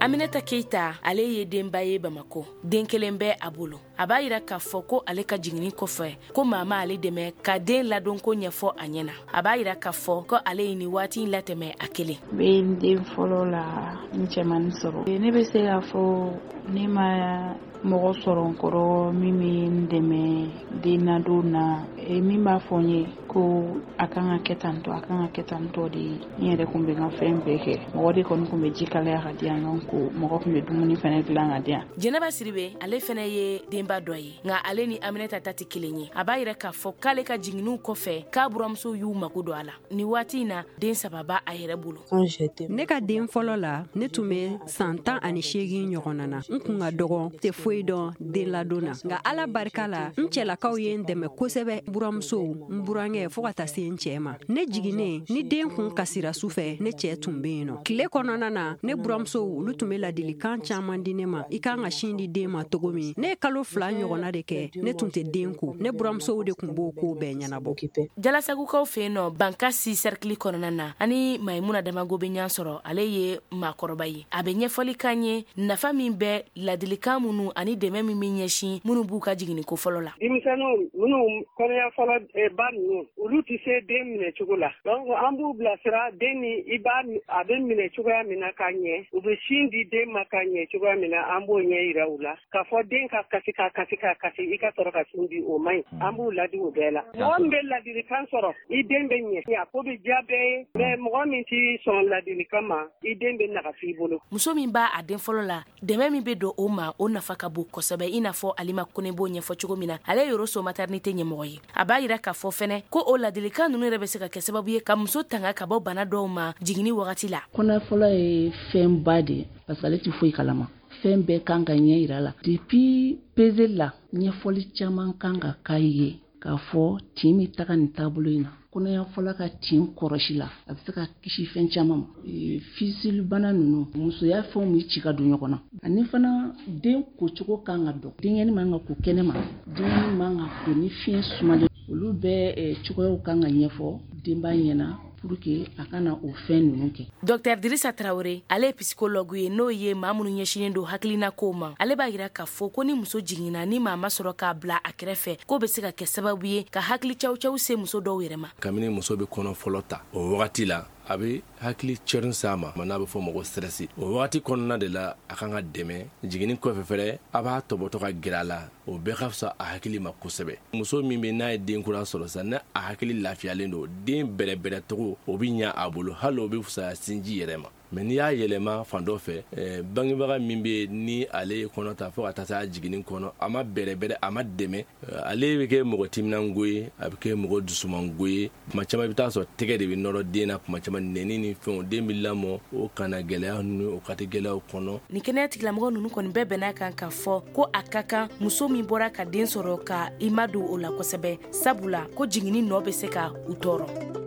Aminata Keita, ale ye denba ye Bamako. Den kelen bɛ a bolo. A b'a yira k'a fɔ ko ale ka jiginni kɔfɛ, ko maa ma ale dɛmɛ ka den ladonko ɲɛfɔ a ɲɛna. A b'a yira k'a fɔ ko ale ye nin waati in latɛmɛ a kelen. N bɛ n den fɔlɔ la, n cɛmannin sɔrɔ. Ne bɛ se k'a fɔ ne ma mɔgɔ sɔrɔ n kɔrɔ min bɛ n dɛmɛ den ladon na, min b'a fɔ n ye ko a kan ka kɛ tan tɔ, a kan ka kɛ tan tɔ de ye. N yɛrɛ kun bɛ n ka fɛn bɛɛ kɛ. Mɔgɔ de kɔni kun bɛ ji kalaya ka di yan, nɔ ko mɔgɔ kun bɛ dumuni fɛnɛ dilan ka di yan. Jɛnɛba Siribe, ale fɛnɛ ye denba dɔ ye, nka ale ni Aminata ta tɛ kelen ye. A b'a yira k'a fɔ k'ale ka jiginniw kɔfɛ, k'a buramuso y'u mago don a la. Nin waati in na, den 3 b'a a yɛrɛ bolo. Ne ka den fɔlɔ la, ne tun bɛ san 18 ɲɔgɔnna na. N kun ka dɔgɔn, tɛ foyi dɔn den ladon na, nka Ala barika la, n cɛlakaw ye n dɛmɛ kosɛbɛ. Buramusow, n burankɛ, fo ka taa se n cɛ ma. Ne jiginnen, ni den kun kasira su fɛ, ne cɛ tun bɛ yen nɔ. Tile kɔnɔna na, ne buramusow, olu tun bɛ ladilikan caman di ne ma, i kan ka sin di den ma cogo min. Ne ye kalo 2 ɲɔgɔnna de kɛ, ne tun tɛ den ko. Ne buramusow de tun b'o ko bɛɛ ɲɛnabɔ. Jalasagukaw fɛ yen nɔ, Bankasi cercle kɔnɔna na, ani Mayimuna Damago bɛ ɲɔgɔn sɔrɔ. Ale ye maakɔrɔba ye. A bɛ ɲɛfɔli k'an ye nafa min bɛ ladilikan minnu ani dɛmɛ min bɛ ɲɛsin minnu b'u ka jiginni ko fɔlɔ la. Denmisɛnninw minnu kɔnɔya fɔlɔ ba ninnu, olu tɛ se den minɛ cogo la. Donc an b'u bilasira den ni i b'a a bɛ minɛ cogoya min na k'a ɲɛ, u bɛ sin di den ma k'a ɲɛ cogoya min na, an b'o ɲɛ yira u la. K'a fɔ den ka kasi ka kasi ka kasi, i ka sɔrɔ ka sin di, o man ɲi. An b'u ladi o bɛɛ la. Mɔgɔ min bɛ ladilikan sɔrɔ, i den bɛ ɲɛ, a ko bɛ diya bɛɛ ye. Mais mɔgɔ min t'i sɔn ladilikan ma, i den bɛ nagasi i bolo. Muso min b'a a den fɔlɔ la, dɛmɛ min bɛ don o ma, o nafa ka bon kosɛbɛ, i n'a fɔ Alima Kone b'o ɲɛfɔ cogo min na. Ale ye Yoroso maternité ɲɛmɔgɔ ye. A b'a yira k'a fɔ fɛnɛ ko o ladilikan ninnu yɛrɛ bɛ se ka kɛ sababu ye ka muso tanga ka bɔ bana dɔw ma jiginni wagati la. Kɔnɔ fɔlɔ ye fɛnba de ye, parce que ale tɛ foyi kalama. Fɛn bɛɛ kan ka ɲɛ yira la. Depuis peseli la, ɲɛfɔli caman kan ka k'a ye k'a fɔ tin bɛ taga nin taabolo in na. Kɔnɔya fɔlɔ ka tin kɔrɔsi la, a bɛ se ka kisi fɛn caman ma. Fisilibana ninnu, musoya fɛnw bɛ ci ka don ɲɔgɔn na. Ani fana den kocogo kan ka dɔn. Denyɛrɛnin man ka ko kɛnɛ ma, denyɛrɛnin man ka ko ni fiɲɛ sumalen. Olu bɛɛ cogoyaw kan ka ɲɛfɔ denba ɲɛna pour que a kana o fɛn ninnu kɛ. Docteur Dirisa Traoré, ale ye psychologue ye, n'o ye maa minnu ɲɛsinnen don hakilina kow ma. Ale b'a yira k'a fɔ ko ni muso jiginna, ni maa ma sɔrɔ k'a bila a kɛrɛfɛ, k'o bɛ se ka kɛ sababu ye ka hakili caw-caw se muso dɔw yɛrɛ ma. Kabini muso bɛ kɔnɔ fɔlɔ ta, o wagati la, a bɛ hakili cɛrin s'a ma, n'a bɛ fɔ o ma ko stress. O wagati kɔnɔna de la, a kan ka dɛmɛ. Jiginni kɔfɛ fɛnɛ, a b'a tɔbɔtɔ ka gɛrɛ a la, o bɛɛ ka fisa a hakili ma kosɛbɛ. Muso min bɛ n'a ye den kura sɔrɔ sisan, n'a a hakili lafiyalen don, den bɛrɛbɛrɛcogo o bɛ ɲɛ a bolo, hali o bɛ fisaya sinji yɛrɛ ma. Mais n'i y'a yɛlɛma fan dɔ fɛ, bangebaga min bɛ ni ale ye kɔnɔ ta fo ka taa se a jiginni kɔnɔ, a ma bɛrɛbɛrɛ, a ma dɛmɛ, ale bɛ kɛ mɔgɔ timinango ye, a bɛ kɛ mɔgɔ dusumango ye. Tuma caman i bɛ taa sɔrɔ tɛgɛ de bɛ nɔrɔ den na, tuma caman nɛni ni fɛnw, den bɛ lamɔ o kana gɛlɛya ninnu, o kati gɛlɛyaw kɔnɔ. Nin kɛnɛya tigilamɔgɔ ninnu kɔni bɛɛ bɛn'a kan k'a fɔ ko a ka kan muso min bɔra ka den sɔrɔ ka i ma don o la kosɛbɛ, sabula ko jiginni nɔ bɛ se ka u tɔɔrɔ.